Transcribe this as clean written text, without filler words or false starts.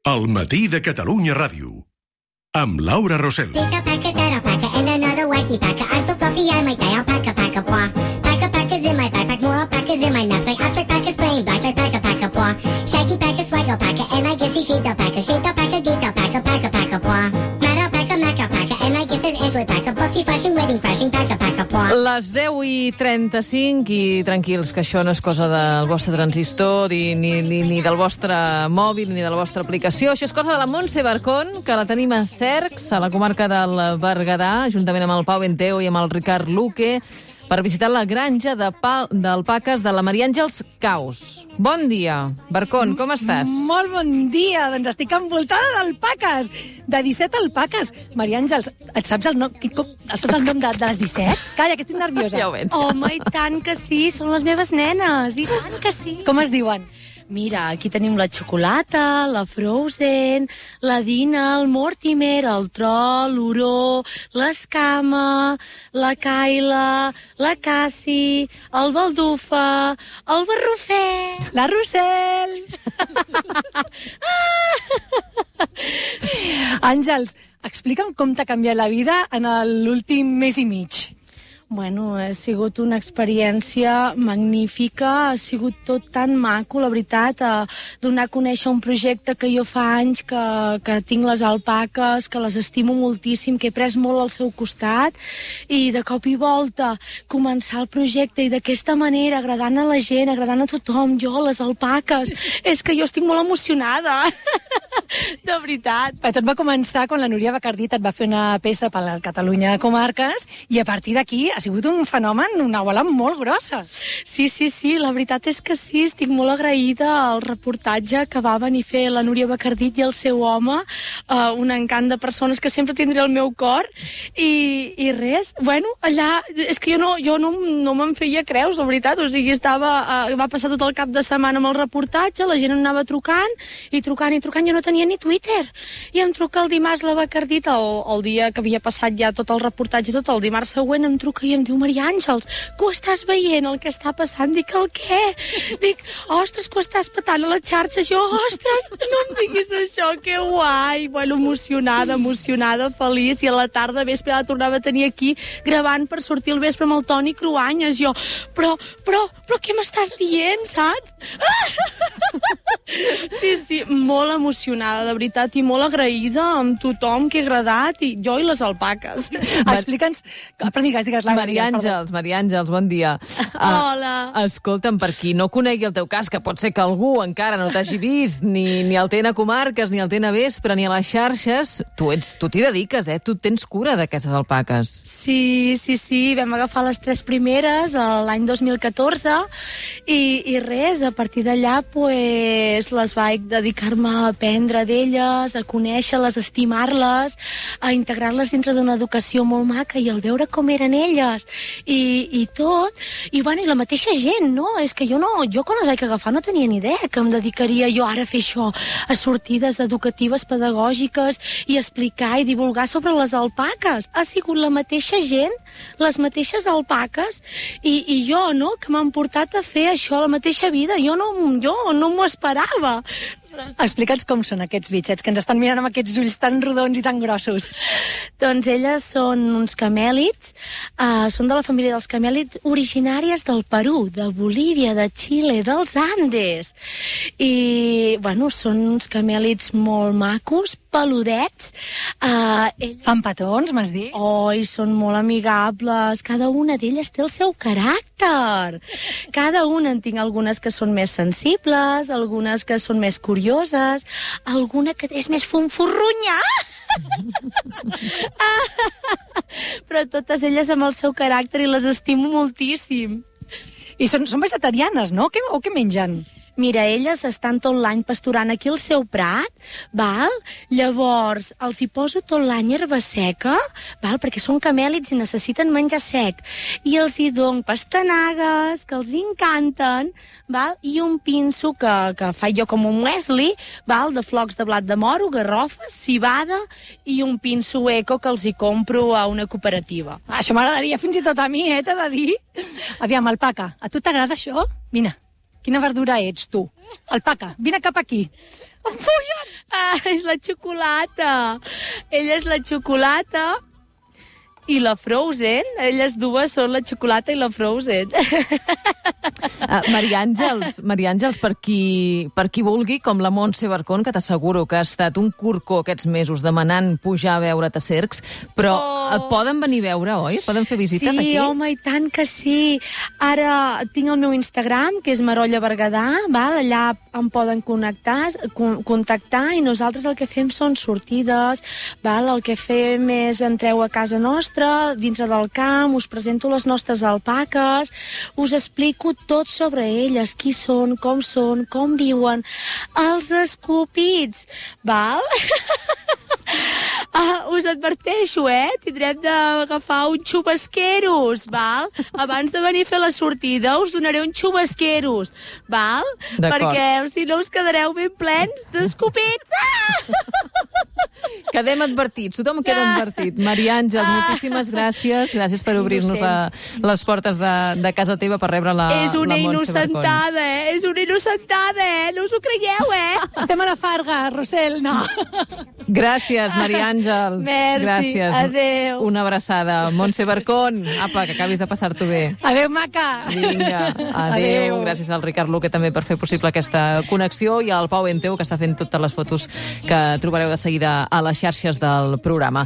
El matí de Catalunya Ràdio. Amb Laura Rosell. This alpaca, that alpaca, and another wacky paca. I'm so fluffy I might die. Alpaca, paca, paw. Paca, paca's in my backpack. More alpacas in my knapsack. Abstract paca's playing blackjack. Paca, paca, paw. Shaggy paca, swag alpaca, and I guess he shades alpaca. Shaped alpaca, gates alpaca. Paca, paca, paw. Mad alpaca, Mac alpaca, and I guess there's Android paca. Buffy flashing, wedding crashing. Paca, paca, paw. Les 10:35 i tranquils, que això no és cosa del vostre transistor, ni del vostre mòbil, ni de la vostra aplicació. Això és cosa de la Montse Barcón, que la tenim a Cercs, a la comarca del Berguedà, juntament amb el Pau Benteo i amb el Ricard Luque, per visitar la granja d'alpaques de la Maria Àngels Caus. Bon dia, Barcón, com estàs? Molt bon dia, doncs estic envoltada d'alpaques, de 17 alpaques. Maria Àngels, et saps el nom, de les 17? Calla, que estic nerviosa. Ja ho veig. Home, i tant que sí, són les meves nenes, i tant que sí. Com es diuen? Mira, aquí tenim la Xocolata, la Frozen, la Dina, el Mortimer, el Troll, l'Oró, l'Escama, la Kaila, la Cassi, el Baldufa, el Barrufet... La Rossell! Àngels, explica'm com t'ha canviat la vida en l'últim mes i mig. Bueno, ha sigut una experiència magnífica, ha sigut tot tan maco, la veritat, donar a conèixer un projecte que jo fa anys que tinc les alpaques, que les estimo moltíssim, que he pres molt al seu costat, i de cop i volta començar el projecte i d'aquesta manera, agradant a la gent, agradant a tothom, jo, les alpaques, és que jo estic molt emocionada, de veritat. Tot va començar quan la Núria Bacardit et va fer una peça per la Catalunya Comarques i a partir d'aquí ha sigut un fenomen, una bola molt grossa. Sí, la veritat és que sí, estic molt agraïda al reportatge que va venir a fer la Núria Bacardit i el seu home, un encant de persones que sempre tindré al meu cor, i res, bueno, allà, és que jo no me'n feia creus, la veritat, o sigui, va passar tot el cap de setmana amb el reportatge, la gent anava trucant, jo no tenia ni Twitter, i em truca el dimarts la Bacardit, el dia que havia passat ja tot el reportatge, tot el dimarts següent em truca i em diu, Maria Àngels, que ho estàs veient, el que està passant? Dic, el què? Dic, ostres, que ho estàs patant a les xarxes. Jo, ostres, no em diguis això, que guai. Bueno, emocionada, feliç, i a la tarda, vespre, la tornava a tenir aquí gravant per sortir al vespre amb el Toni Cruanyes. Jo, però què m'estàs dient, saps? Sí, molt emocionada, de veritat, i molt agraïda amb tothom que ha agradat, i jo i les alpaques. Explica'ns, però digues, Maria Àngels, bon dia. Hola. Escolta'm, per qui no conegui el teu cas, que pot ser que algú encara no t'hagi vist, ni al TN Comarques, ni al TN Vespre, ni a les xarxes, tu t'hi dediques, tu tens cura d'aquestes alpaques. Sí, vam agafar les 3 primeres l'any 2014, i res, a partir d'allà, pues, les vaig dedicar-me a aprendre d'elles, a conèixer-les, a estimar-les, a integrar-les dintre d'una educació molt maca, i al veure com eren elles, i tot, i bueno, i la mateixa gent, no? És que jo quan les vaig agafar no tenia ni idea que em dedicaria jo ara a fer això, a sortides educatives, pedagògiques, i explicar i divulgar sobre les alpaques. Ha sigut la mateixa gent, les mateixes alpaques, i jo, no?, que m'han portat a fer això, la mateixa vida. Jo no m'ho esperava. Explica'ns com són aquests bitxets que ens estan mirant amb aquests ulls tan rodons i tan grossos. Doncs elles són uns camèlids, són de la família dels camèlids originàries del Perú, de Bolívia, de Xile, dels Andes. I, bueno, són uns camèlids molt macos, peludets. Fan petons, m'has dit? I són molt amigables. Cada una d'elles té el seu caràcter. Cada una en tinc algunes que són més sensibles, algunes que són més curioses, alguna que és més fonforrunya. Però totes elles amb el seu caràcter, i les estimo moltíssim. I són vegetarianes, no? O què mengen? Mira, elles estan tot l'any pasturant aquí al seu prat, val? Llavors, els hi poso tot l'any herba seca, val? Perquè són camèlids i necessiten menjar sec. I els hi dono pastanagues, que els encanten, val? I un pinso que faig jo com un muesli, val? De flocs de blat de moro, garrofes, cibada, i un pinso eco que els hi compro a una cooperativa. Això m'agradaria fins i tot a mi, t'he de dir. Aviam, alpaca, a tu t'agrada això? Vine. Quina verdura ets, tu? Alpaca, vine cap aquí. Em fugen! És la xocolata. Ella és la xocolata i la Frozen. Elles dues són la xocolata i la Frozen. Maria Àngels, per qui vulgui, com la Montse Barcón, que t'asseguro que ha estat un corcó aquests mesos demanant pujar a veure't a Cercs, però et poden venir a veure, oi? Poden fer visites aquí? Sí, home, i tant que sí. Ara tinc el meu Instagram, que és Marolla Berguedà, val? Allà em poden contactar i nosaltres el que fem són sortides, val? El que fem és entreu a casa nostra, dintre del camp, us presento les nostres alpaques, us explico tot sobre elles, qui són, com viuen, els escopits, val? Us adverteixo, tindrem d'agafar un xubasqueros, val? Abans de venir a fer la sortida us donaré un xubasqueros, val? Perquè si no us quedareu ben plens d'escopits. Quedem advertits, tothom queda advertit. Maria Àngels, moltíssimes gràcies. Gràcies per obrir-nos les portes de casa teva per rebre la Montse Barcón. És una innocentada, és una innocentada, no us ho creieu, Estem a la Farga, Rossell, no. Gràcies, Maria Àngels. Merci, gràcies. Adéu. Una abraçada. Montse Barcón, apa, que acabis de passar-t'ho bé. Adéu, maca. Vinga, adéu. Gràcies al Ricard Luque també per fer possible aquesta connexió i al Pau Enteu, que està fent totes les fotos que trobareu de seguida a les xarxes del programa.